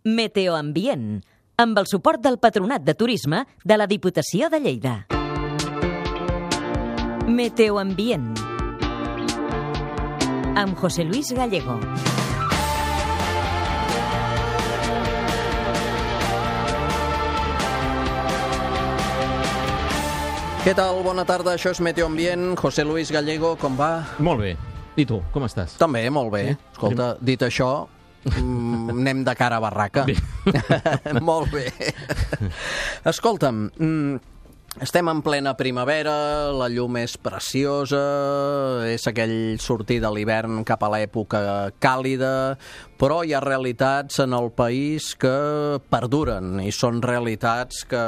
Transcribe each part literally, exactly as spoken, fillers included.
Meteoambient, amb el suport del Patronat de Turisme de la Diputació de Lleida. Meteoambient, amb José Luis Gallego. Què tal? Bona tarda, això és Meteoambient. José Luis Gallego, com va? Molt bé. I tu, com estàs? També, molt bé. Sí? Escolta, dit això, mm, anem de cara a barraca. Molt bé. Escolta'm, mm, estem en plena primavera, la llum és preciosa, és aquell sortir de l'hivern cap a l'època càlida, però hi ha realitats en el país que perduren i són realitats que,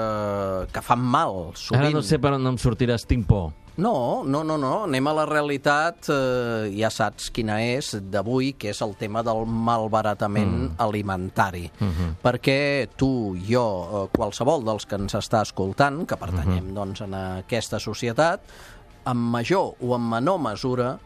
que fan mal, sovint. Ara no sé per on em sortiràs, tinc por. No, no, no, no. Anem a la realitat, eh, ja saps quina és, d'avui, que és el tema del malbaratament mm. alimentari. Mm-hmm. Perquè tu, jo, eh, qualsevol dels que ens està escoltant, que pertanyem mm-hmm. doncs, en aquesta societat, en major o en menor mesura,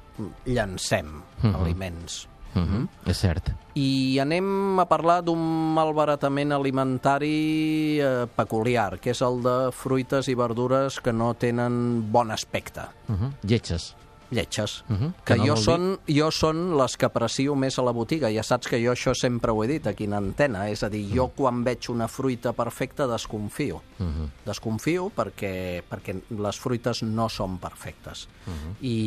llancem mm-hmm. aliments. Mm-hmm. És cert. I anem a parlar d'un malbaratament alimentari eh, peculiar, que és el de fruites i verdures que no tenen bon aspecte. Uh-huh. Lletges. Lletges. Uh-huh. Que, que no jo, són, jo són les que aprecio més a la botiga. Ja saps que jo això sempre ho he dit aquí en antena. És a dir, jo quan veig una fruita perfecta desconfio. Uh-huh. Desconfio perquè, perquè les fruites no són perfectes. Uh-huh. I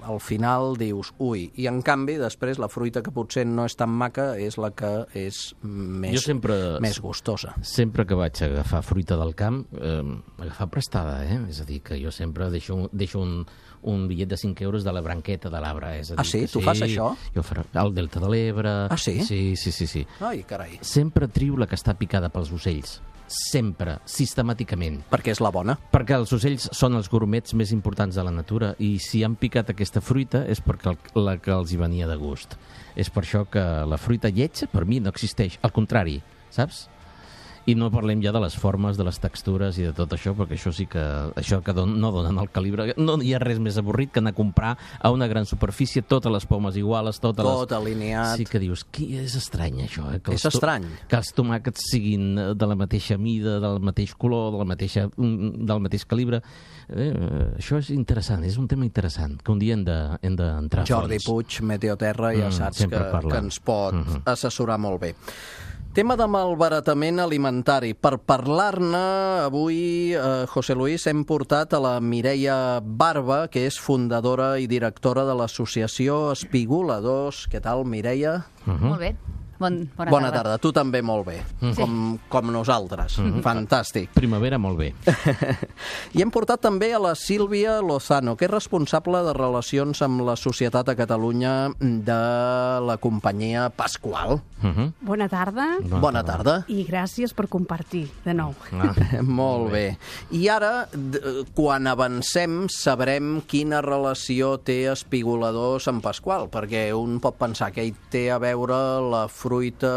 al final dius, ui, i en canvi després la fruita que potser no és tan maca és la que és més, sempre, més gustosa. Sempre que vaig agafar fruita del camp, eh, agafar prestada, eh? És a dir, que jo sempre deixo, deixo un, un bitllet de cinc euros de la branqueta de l'arbre. És a dir, ah, sí? Que, Tu sí, fas això? Jo faré al Delta de l'Ebre. Ah, sí? Sí, sí, sí, sí. Ai, carai. Sempre trio la que està picada pels ocells. Sempre, sistemàticament. Perquè és la bona. Perquè els ocells són els gurmets més importants de la natura i si han picat aquesta fruita és perquè el, la que els hi venia de gust. És per això que la fruita lletja per mi no existeix, al contrari, saps? I no parlem ja de les formes, de les textures i de tot això, perquè això sí que això que don, no donen el calibre. No hi ha res més avorrit que anar a comprar a una gran superfície totes les pomes iguales, totes tot les... alineat. Sí que dius, qui és estrany això, eh? Que és estrany. Que els tomàquets siguin de la mateixa mida, del mateix color, de la mateixa, del mateix calibre. Eh, això és interessant, és un tema interessant, que un dia hem d'entrar de, a Jordi fons. Puig, Meteoterra, ja saps mm, que, que ens pot mm-hmm. assessorar molt bé. Tema de malbaratament alimentari. Per parlar-ne, avui, eh, José Luis, hem portat a la Mireia Barba, que és fundadora i directora de l'associació Espigoladors. Què tal, Mireia? Uh-huh. Molt bé. Bon, bona, bona tarda. tarda. Tu també molt bé, mm. com, com nosaltres. Mm. Fantàstic. Primavera molt bé. I hem portat també a la Sílvia Lozano, que és responsable de relacions amb la societat a Catalunya de la companyia Pasqual. Mm-hmm. Bona tarda. Bona, bona tarda. I gràcies per compartir, de nou. Ah, molt bé. I ara, quan avancem, sabrem quina relació té Espigoladors amb Pasqual, perquè un pot pensar que hi té a veure la fruita fruita,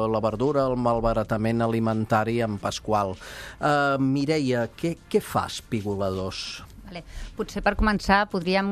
la verdura, el malbaratament alimentari amb Pasqual. Uh, Mireia, què, què fa Espigoladors? Vale. Potser per començar podríem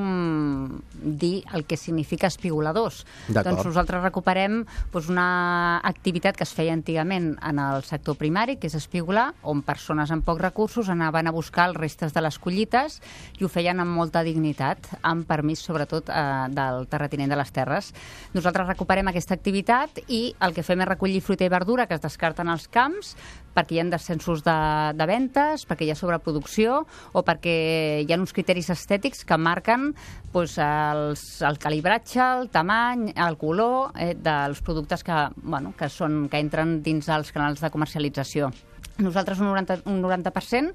dir el que significa espigoladors. Doncs nosaltres recuperem doncs, una activitat que es feia antigament en el sector primari, que és espigolar, on persones amb pocs recursos anaven a buscar els restes de les collites i ho feien amb molta dignitat, amb permís sobretot eh, del terratinent de les terres. Nosaltres recuperem aquesta activitat i el que fem és recollir fruita i verdura que es descarten als camps perquè hi ha descensos de, de ventes, perquè hi ha sobreproducció o perquè hi ha uns criteris estètics que marquen doncs, els, el calibratge, el tamany, el color eh, dels productes que, bueno, que, són, que entren dins els canals de comercialització. Nosaltres un noranta, un noranta per cent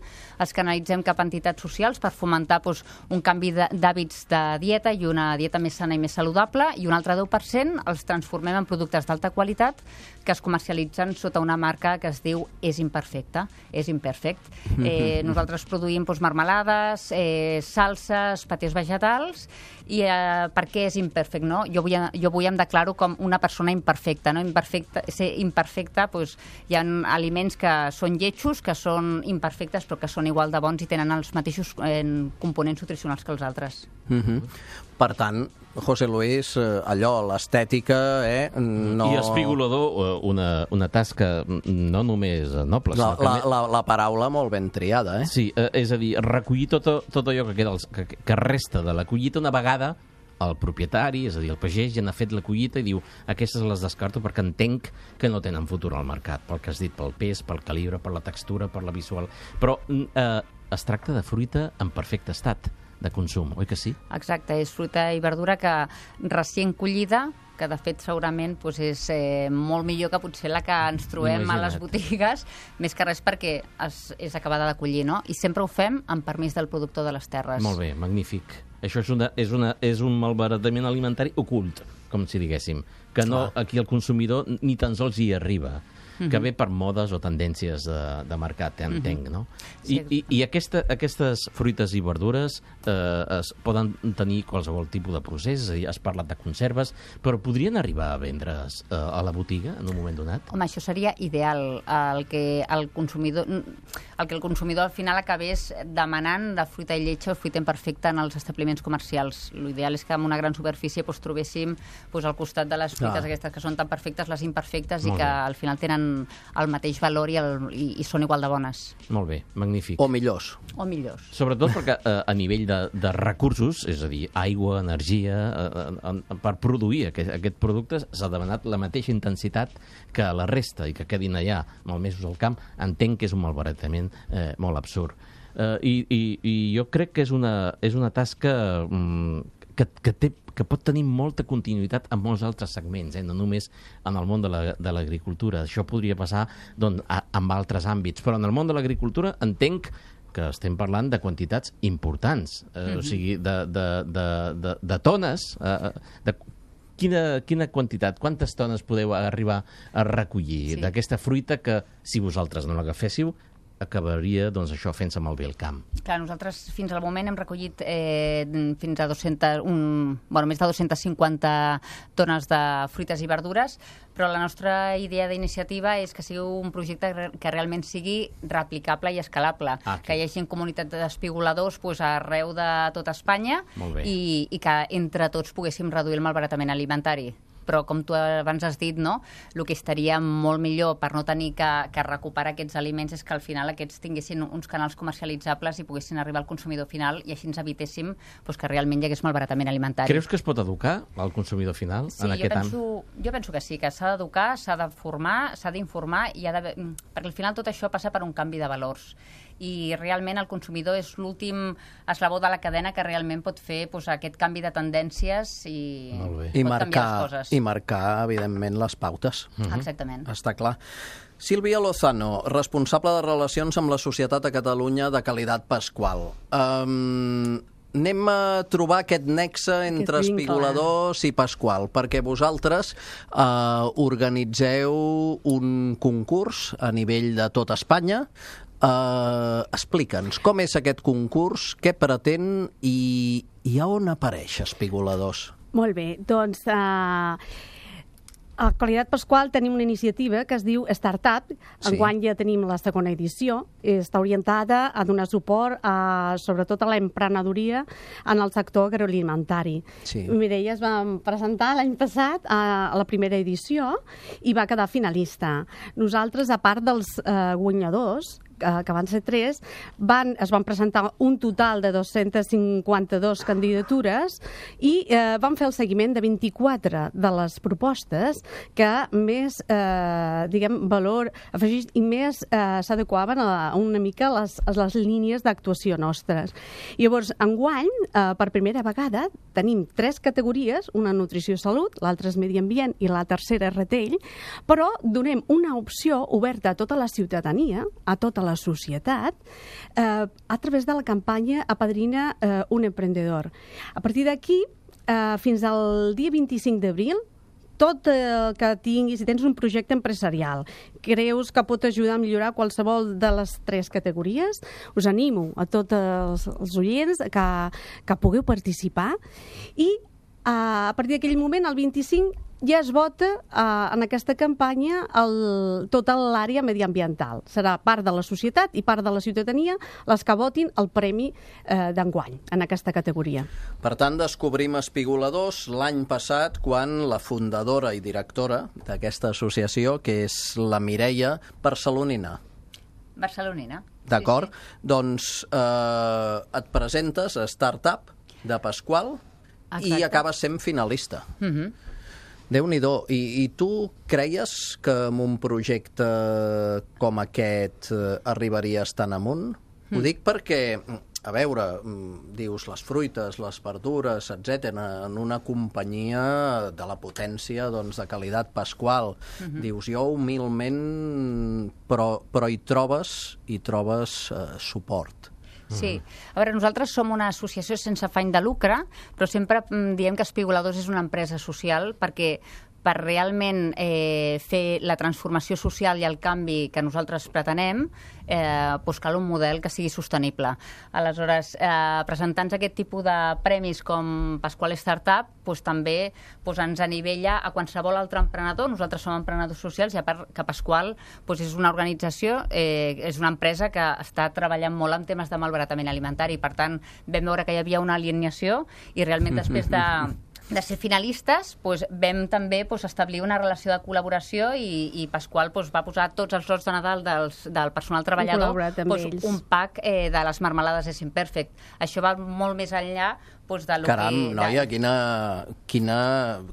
els canalitzem cap a entitats socials per fomentar doncs, un canvi d'hàbits de dieta i una dieta més sana i més saludable, i un altre deu per cent els transformem en productes d'alta qualitat que es comercialitzen sota una marca que es diu És Imperfecte, És Imperfect. Eh, nosaltres produïm doncs, marmelades, eh, salses, patés vegetals, i eh, per què és imperfect? No? Jo, vull, jo vull em declaro com una persona imperfecta. No? Imperfecta, ser imperfecta, doncs, hi ha aliments que són lletjos, que són imperfectes, però que són igual de bons i tenen els mateixos eh, components nutricionals que els altres. Mm-hmm. Per tant, José Luis, allò, l'estètica, eh? No... I espigolador, una, una tasca no només noble. La, sinó la, que... la, la paraula molt ben triada, eh? Sí, eh, és a dir, recollir tot, tot allò que, queda, que, que resta de la collita una vegada el propietari, és a dir, el pagès, ja n'ha fet la collita i diu aquestes les descarto perquè entenc que no tenen futur al mercat, pel que has dit, pel pes, pel calibre, per la textura, per la visual. Però eh, es tracta de fruita en perfecte estat de consum, oi que sí? Exacte, és fruita i verdura que recient collida, que de fet segurament doncs, és eh, molt millor que potser la que ens trobem Imagina't. a les botigues, més que res perquè es, és acabada de collir, no? I sempre ho fem amb permís del productor de les terres. Molt bé, magnífic. Això és, una, és, una, és un malbaratament alimentari ocult, com si diguéssim, que no, aquí el consumidor ni tan sols hi arriba. Uh-huh. Que ve per modes o tendències de, de mercat, entenc, uh-huh. no? I, Sí. i, i aquesta, aquestes fruites i verdures eh, es poden tenir qualsevol tipus de procés, és a dir, has parlat de conserves, però podrien arribar a vendre's eh, a la botiga en un moment donat? Home, això seria ideal, el que el consumidor, el que el consumidor al final acabés demanant de fruita i lletja o fruita imperfecta en els establiments comercials. L'ideal és que en una gran superfície doncs, trobéssim doncs, al costat de les fruites Ah. aquestes que són tan perfectes, les imperfectes, Molt i que bé. al final tenen el mateix valor i, el, i, i són igual de bones. Molt bé, magnífic. O millors. O millors. Sobretot perquè eh, a nivell de, de recursos, és a dir, aigua, energia, eh, eh, per produir aquest, aquest producte s'ha demanat la mateixa intensitat que la resta i que quedin allà malmesos al camp, entenc que és un malbaratament eh, molt absurd. Eh, i, i, I jo crec que és una, és una tasca mm, que, que, té, que pot tenir molta continuïtat en molts altres segments, eh? No només en el món de la, de l'agricultura. Això podria passar doncs, a, amb altres àmbits, però en el món de l'agricultura entenc que estem parlant de quantitats importants, eh, mm-hmm. o sigui, de, de, de, de, de tones, eh, de quina, quina quantitat, quantes tones podeu arribar a recollir Sí. d'aquesta fruita que, si vosaltres no l'agaféssiu, acabaria, doncs, això fent-se malbé el camp. Clar, nosaltres fins al moment hem recollit eh, fins a dues-centes, un, bueno, més de dues-centes cinquanta tones de fruites i verdures, però la nostra idea d'iniciativa és que sigui un projecte que realment sigui replicable i escalable, Ah, que hi hagi comunitat d'espigoladors pues, arreu de tota Espanya Molt bé. i, i que entre tots poguéssim reduir el malbaratament alimentari. Però com tu abans has dit, no? El que estaria molt millor per no tenir que, que recuperar aquests aliments és que al final aquests tinguessin uns canals comercialitzables i poguessin arribar al consumidor final i així ens evitéssim pues, que realment hi hagués malbaratament alimentari. Creus que es pot educar al consumidor final Sí, en jo aquest penso, jo penso que sí, que s'ha d'educar, s'ha de formar, s'ha d'informar, i ha d'haver... perquè al final tot això passa per un canvi de valors. I realment el consumidor és l'últim eslabó de la cadena que realment pot fer pues, aquest canvi de tendències i Molt bé. I pot canviar marcar, les coses. I marcar, evidentment, les pautes. Exactament. Està clar. Sílvia Lozano, responsable de Relacions amb la Societat a Catalunya de Qualitat Pasqual. Um, anem a trobar aquest nexe entre Aquest vincle. espigoladors i Pasqual, perquè vosaltres uh, organitzeu un concurs a nivell de tot Espanya. Uh, Explica'ns, com és aquest concurs, què pretén i, i a on apareix Espigoladors? Molt bé, doncs uh, a Qualitat Pasqual tenim una iniciativa que es diu Startup. Sí. Enguany ja tenim la segona edició. Està orientada a donar suport a, sobretot a l'emprenedoria en el sector agroalimentari. Sí. Mireia es va presentar l'any passat a, a la primera edició i va quedar finalista. Nosaltres, a part dels eh, guanyadors, que van ser tres, van, es van presentar un total de dos-centes cinquanta-dues candidatures i eh, van fer el seguiment de vint-i-quatre de les propostes que més, eh, diguem, valor afegit i més eh, s'adequaven a, a una mica a les, a les línies d'actuació nostres. Llavors, enguany, eh, per primera vegada, tenim tres categories, una nutrició i salut, l'altra és medi ambient i la tercera és retell, però donem una opció oberta a tota la ciutadania, a tota la societat, eh, a través de la campanya Apadrina eh, un emprendedor. A partir d'aquí, eh, fins al dia vint-i-cinc d'abril, tot el que tinguis, si tens un projecte empresarial, creus que pot ajudar a millorar qualsevol de les tres categories, us animo a tots els, els oients que, que pugueu participar i a partir d'aquell moment, el vint-i-cinc, ja es vota eh, en aquesta campanya el, tota l'àrea mediambiental. Serà part de la societat i part de la ciutadania les que votin el premi eh, d'enguany en aquesta categoria. Per tant, descobrim espigoladors l'any passat quan la fundadora i directora d'aquesta associació, que és la Mireia Barcelonina. Barcelonina. D'acord? Sí, sí. Doncs eh, et presentes a Startup de Pasqual. Exacte. I acabes sent finalista. Uh -huh. Déu-n'hi-do. I, I tu creies que amb un projecte com aquest eh, arribaries tan amunt? Mm. Ho dic perquè, a veure, dius les fruites, les verdures, etcètera, en una companyia de la potència, doncs, de qualitat Pasqual. Mm-hmm. Dius, jo humilment, però, però hi trobes, hi trobes eh, suport. Sí. A veure, nosaltres som una associació sense afany de lucre, però sempre diem que Espigoladors és una empresa social perquè per realment eh, fer la transformació social i el canvi que nosaltres pretenem, eh, doncs cal un model que sigui sostenible. Aleshores, eh, presentant aquest tipus de premis com Pasqual Startup, doncs també doncs ens anivella a qualsevol altre emprenedor. Nosaltres som emprenedors socials i a part que Pasqual doncs és una organització, eh, és una empresa que està treballant molt en temes de malbaratament alimentari. Per tant, vam veure que hi havia una alineació i realment després de... de ser finalistes, doncs, vam també doncs, establir una relació de col·laboració i, i Pasqual doncs, va posar tots els lots de Nadal dels, del personal treballador doncs, un pack eh, de les marmelades és imperfect. Això va molt més enllà doncs, de lo Caram, que... noia, de... quina, quina...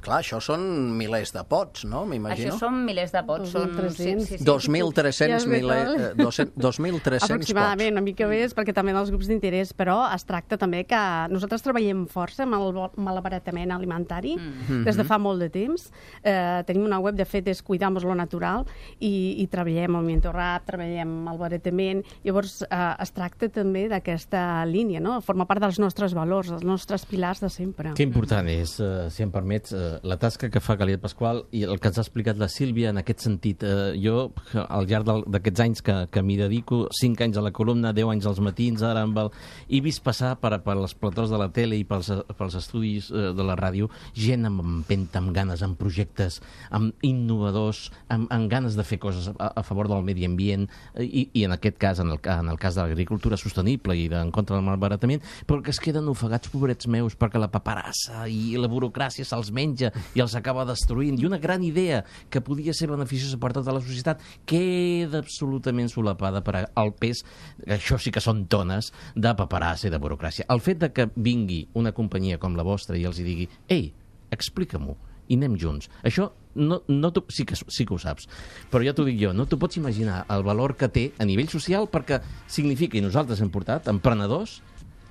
Clar, això són milers de pots, no? M'imagino. Això són milers de pots. dos mil tres-cents. Sí, sí, sí. dos mil tres-cents milers... dos mil tres-cents Aproximadament, pots. una mica més, perquè també dels grups d'interès, però es tracta també que nosaltres treballem força amb el malbaratament alimentari mm. des de fa molt de temps. Eh, tenim una web, de fet, és Cuidamos lo Natural i, i treballem el mentorat, treballem el baratament. Llavors, eh, es tracta també d'aquesta línia, no? Forma part dels nostres valors, dels nostres pilars de sempre. Que important és, eh, si em permets, eh, la tasca que fa Caliet Pasqual i el que ens ha explicat la Sílvia en aquest sentit. Eh, jo, al llarg d'aquests anys que, que m'hi dedico, cinc anys a la columna, deu anys als matins, ara amb el... he vist passar per, per les platós de la tele i pels, pels estudis eh, de la ràdio gent amb empenta, amb ganes, amb projectes, amb innovadors, amb, amb ganes de fer coses a, a favor del medi ambient i, i en aquest cas, en el, en el cas de l'agricultura sostenible i en contra del malbaratament, però que es queden ofegats, pobrets meus, perquè la paperassa i la burocràcia se'ls menja i els acaba destruint. I una gran idea que podia ser beneficiosa per tota la societat queda absolutament solapada per al pes, això sí que són tones, de paperassa i de burocràcia. El fet de que vingui una companyia com la vostra i els hi digui «Ei, explica-m'ho, i anem junts». Això no, no sí, que, sí que ho saps, però ja t'ho dic jo, no t'ho pots imaginar el valor que té a nivell social, perquè significa, i nosaltres hem portat, emprenedors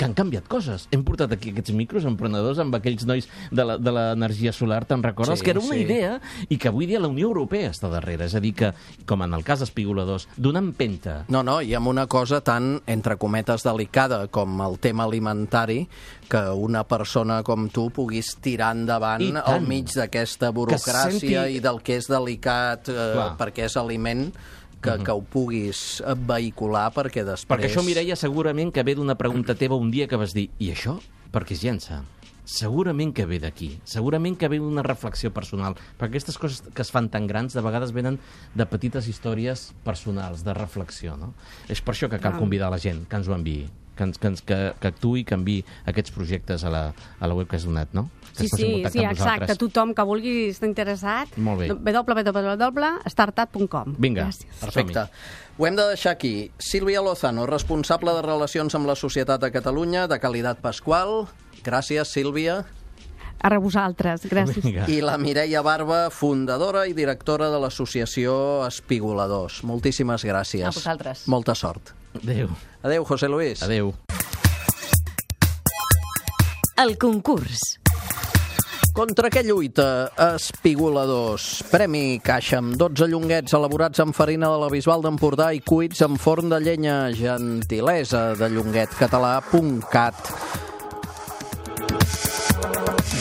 que han canviat coses. Hem portat aquí aquests micros emprenedors amb aquells nois de l'energia solar, te'n recordes? Sí, que era una sí. idea i que avui dia la Unió Europea està darrere. És a dir que, com en el cas d'Espigoladors, donar empenta. No, no, i amb una cosa tan, entre cometes, delicada com el tema alimentari, que una persona com tu puguis tirar endavant al mig d'aquesta burocràcia senti... i del que és delicat eh, perquè és aliment... Que, que ho puguis vehicular perquè després... Perquè això, Mireia, segurament que ve d'una pregunta teva un dia que vas dir «I això per què es llença?» Segurament que ve d'aquí, segurament que ve d'una reflexió personal, perquè aquestes coses que es fan tan grans de vegades venen de petites històries personals, de reflexió, no? És per això que cal convidar la gent que ens ho enviï, que, ens, que, ens, que, que actuï i que enviï aquests projectes a la, a la web que has donat, no? Sí, sí, sí, exacte. Tothom que vulgui estar interessat, w w w punt startup punt com. Vinga, perfecte. Ho hem de deixar aquí. Sílvia Lozano, responsable de Relacions amb la Societat de Catalunya, de Qualitat Pasqual. Gràcies, Sílvia. A vosaltres, gràcies. Vinga. I la Mireia Barba, fundadora i directora de l'associació Espigoladors. Moltíssimes gràcies. A vosaltres. Molta sort. Adéu. Adéu, José Luis. Adéu. El concurs. Contra què lluita Espigoladors? Premi caixa amb dotze llonguets elaborats amb farina de la Bisbal d'Empordà i cuits amb forn de llenya. Gentilesa de llonguet català punt cat.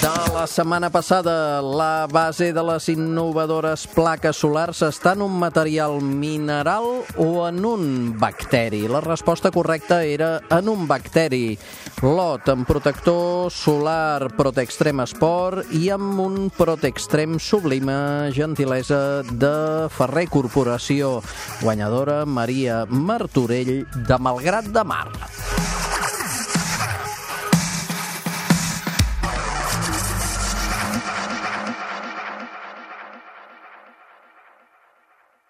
De la setmana passada, la base de les innovadores plaques solars està en un material mineral o en un bacteri? La resposta correcta era en un bacteri. Lot amb protector solar Protextrem Sport i amb un Protextrem Sublime, gentilesa de Ferrer Corporació. Guanyadora Maria Martorell de Malgrat de Mar.